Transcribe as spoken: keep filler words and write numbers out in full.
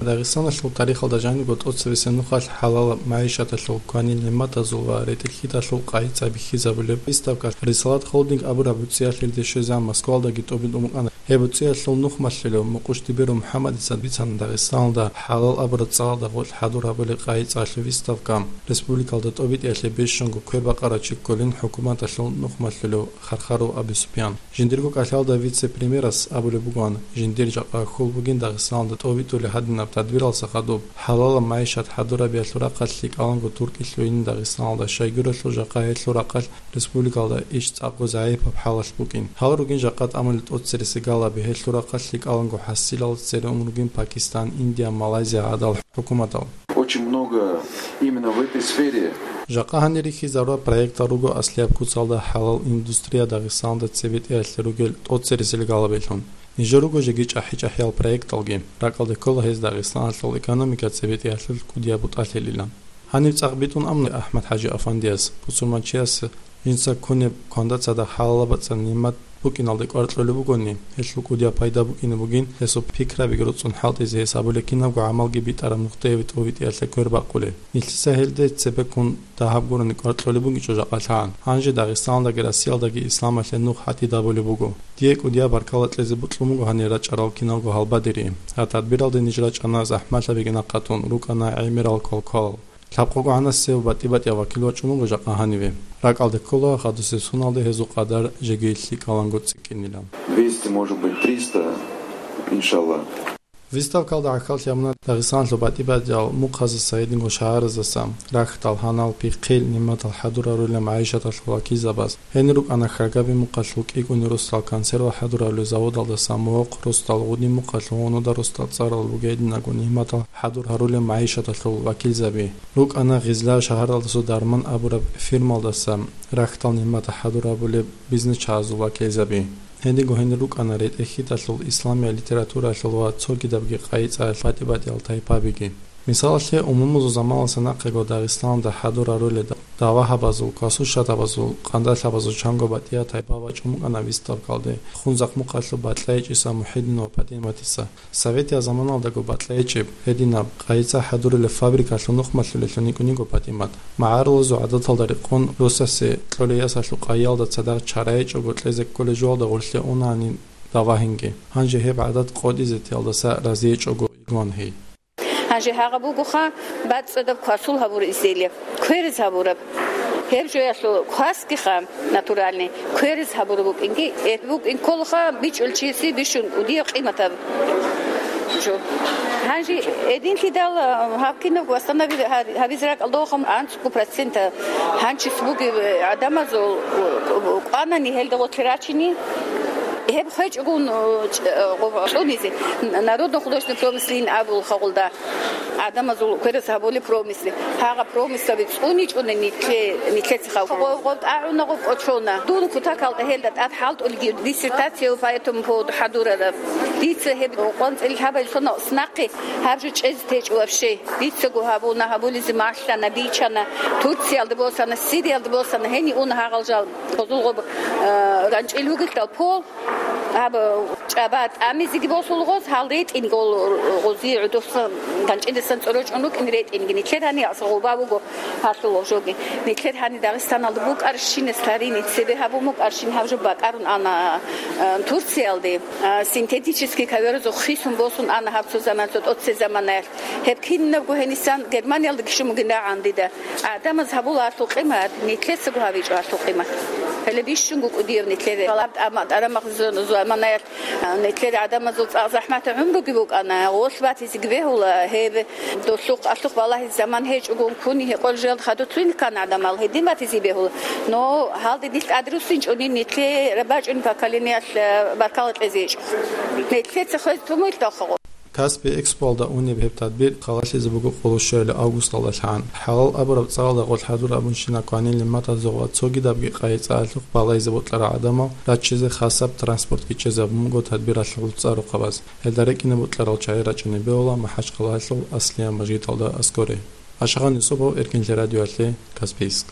Дагъистаналъул тарихалда жанибго тӀоцебесеб нухалъ хӀалалаб магӀишаталъул, кванил нигӀматазул ва ретӀел-хьитӀалъул къайи-цӀай бихьизабулеб выставка «Рисалат Холдинг» абураб гӀуцӀиялъе ридезе щвезегӀан Москвалдаги тӀобитӀун букӀана. Гьеб гӀуцӀиялъул нухмалъулев Мукъуш Дибиров МухӀаммадица бицана, Дагъистаналда хӀалал абураб цӀалалда гъоркь хӀадурабулеб къайи-цӀалъул выставка республикалда тӀобитӀиялъе бищунго квер бакъарав чи кколин хӀукуматалъул нухмалъулев Хархаров Абусупиян. Жиндирго кӀалъалда вице-премьерас абулеб бугоан, жиндир жакъа хьул бугин Дагъистаналда тӀобитӀулеб гьадинаб тадбиралдаса хадуб, хӀалалаб магӀишат хӀадурабиялъул рахъалъ лъикӀаланго туркӀин лъугьинин Дагъистаналда, щайгурелъул жакъа гьелъул рахъалъ республикалда иш цӀакъго загӀипаб хӀалалъ букӀин. Гьал ругин жакъа тӀамулел тӀоцереси галаби, гьелъул рахъалъ лъикӀаланго хӀасилал цере ун ругин Пакистан, Индия, Малайзия гӀадал хӀукуматал. Очень много именно в этой сфере. Жакъа гьанир рихьизарураб проектал руго аслияб куцалда хӀалал индустрия Дагъистаналда цебетӀеялъе ругел тӀоцересел галабилъун. Нижер руго жеги чӀахӀи-чӀахӀиял проекталги. РакӀалде ккола гьез Дагъистаналъул экономика цебетӀеялъул кӀудияб бутӀалъилилан. Гьаниб цӀакъ битӀун абуна АхӀмад-хӀажи афандияс, бусурманчияс жинца ккунеб кванда цадахъ хӀалалаб бацӀцӀадаб нигӀмат букӀиналде кӀвар кьолеб бугони, гьелъул кӀудияб пайда букӀине бугин, гьесул пикрабиги роцӀцӀун хӀалтӀизе гьес абулеб кинабго гӀамалги битӀараб нухде гьеб тӀобитӀиялъе квер бакъулеб. Нилъеца гьелде цебеккун дагьаб гурони кӀвар кьолеб бугичӀо жакъалъагӀан. Гьанже Дагъистаналдаги Россиялдаги исламалъе нух гьатӀидабулеб буго. Дие кӀудияб баркала кьезе бокьун буго гьанир рачӀарал киналго гьалбадери. Гьаб тадбиралде ниж рачӀана захӀмалъабиги нахъатун, рукӀана гӀемерал квалквалал. Лъабкъого гӀанасев батӀи-батӀияв вакил вачӀун вуго жакъа гьаниве. РакӀалде ккола, хадусеб соналде гьезул къадар жеги лъикӀаланго цӀикӀкӀинилан. Двести, может быть, триста, иншалла. Выставкалда гӀахьаллъи гьабуна Дагъистаналъул батӀи-батӀиял мухъаздаса, гьединго шагьараздаса, рахьдал, гьанал, пихъил, нигӀматал хӀадурарулел магӀишаталъул вакилзабаз. Гьенир рукӀана Храгаби мухъалъул кӀикӀуни росдал консерва хӀадурабулел заводалдаса мухъ, росдал гъуди мухъалъул гьунуда росдал цӀарал бугей гьединабго нигӀматал хӀадур гьарулел магӀишаталъул вакилзаби. РукӀана Гъизла шагьаралдасул Дарман абураб фирмалдаса рахьдал нигӀмат хӀадурабулеб бизнесчагӀазул вакилзаби. Гьединго гьенир рукӀана ретӀел-хьитӀалъул, исламияб литературалъул ва цогидабги къайи-цӀаялъул батӀи-батӀиял тайпабиги. Мисалалъе, умумузул заманалдаса нахъего Дагъистаналда хӀадур гьарулел давагьабазул, квасуршатабазул, къандалъабазул чанго батӀияб тайпа бачӀун букӀана выставкалде, Хунзахъ мухъалъул Батлайчиса, МухӀидин ва ПатӀиматиса. Советияб заманалдаго Батлайчиб гьединаб къайи-цӀа хӀадурулеб фабрикалъул нухмалъулелъун йикӀун йиго ПатӀимат. МагӀарулазул гӀадаталда рекъон, росасе кьолей ясалъул къайиялда цадахъ чарайчӀого кьезе кколей жоялда гъорлъе унани давагьинги. Гьанже гьеб гӀадат къотӀизе тиялдаса разиечӀого йигоан гьей. Гьанже гьагъаб бугоха бацӀцӀадаб квасул гьабураб изделие, кверез гьабураб. Гьеб жоялъул квасгиха натуральный, кверез гьабураб букӀинги, э, букӀин кколаха бичӀчӀулев чиясе бищун кӀудияб къиматаб жо. Гьанже гьединлъидал, а, гьаб кинаб восстанови-, гьа-, гьабизе ракӀалда вохун анцӀго процента гьанчис бугеб, э, гӀадамазул, э, кӀванани гьелда гъорлъе рачине, гьеб хвечӀогун, э, ч-, э, гъо-, цӀунизе, н-, народно-художественный промыслин абулха гъолда. ГӀадамазул кверез гьабулеб промысли. Гьагъа промыслаби цӀуничӀони нитлъе-, нитлъецаха. Гъоб-, гъоб тӀагӀуна, гъоб кӀочона. Дун кутакалда гьелда тӀад хӀалтӀулги диссертация по этому поводу хӀадурараб. Дица гьеб къванцӀил лъабал соналъ нахъе гьаб жо чӀезе течӀо вообще. Дицаго гьабуна, гьабулизе малъана, бичана. Турциялда босана, Сириялда босана, гьенив уна гьагъал жал. Гъозул гъоб, э, ганчӀил вугелъул пол, гьаб чӀаба тӀамизеги босула гъоз, гьал ретӀинги гъол гъозие гӀодосан ганчӀидасан цӀорочӀун рукӀин ретӀинги. Нитлъер гьанир гъоба буго гьалъул гъожоги. Нитлъер гьанир Дагъистаналда букӀарщинас тарини цебе гьабун букӀарщин гьаб жо бакӀарун ана, а, Турциялде, а, синтетический коверазул хисун босун ана гьаб цо заман, цо тӀоцебе заманаялъ. Гьеб кинабго гьенисан Германиялда гишун бугин рагӀан дида. ГӀадамаз гьабула гьалъул къимат, нитлъецаго гьабичӀо гьалъул къимат. Гьеле бищунго кӀудияв нитлъере. Гьалаб тӀама-, тӀарамахъ зу-, заманаялъ, а, нитлъер гӀадамазул цӀакъ захӀматаб гӀумруги букӀана, гъолъ батизеги бегьула, гьеб долъухъ-алъухъ балагьизе заман гьечӀогун ккуни гьекъолел жал хадуцлъуни ккана гӀадамал, гьедин батизе бегьула. Но гьалде нилъ тӀаде руссинчӀони, нитлъе рабачӀун поколениялъ, а, баркала кьезе гьечӀо. Нитлъеца хвезе тумуйлъ далхъа гъо. Каспи Экспоялда унеб гьеб тадбир халалъизе буго къоло щуялъул августалдалъан. ХӀалал абураб цӀалалда гъоркь хӀадур абунщинаб кванил нигӀматазул ва цогидабги къайи-цӀаялъухъ балайзе бокьарал гӀадамал раччизе хасаб транспортги чӀезабун буго тадбиралъул цӀа-рухъабаз. Гьелда рекӀине бокьарал чагӀи рачӀине бегьула МахӀачхъалаялъул Аслияб мажгиталда аскӀоре. Ашагъан Юсупов, Эркинлъи радиоялъе, Каспийск.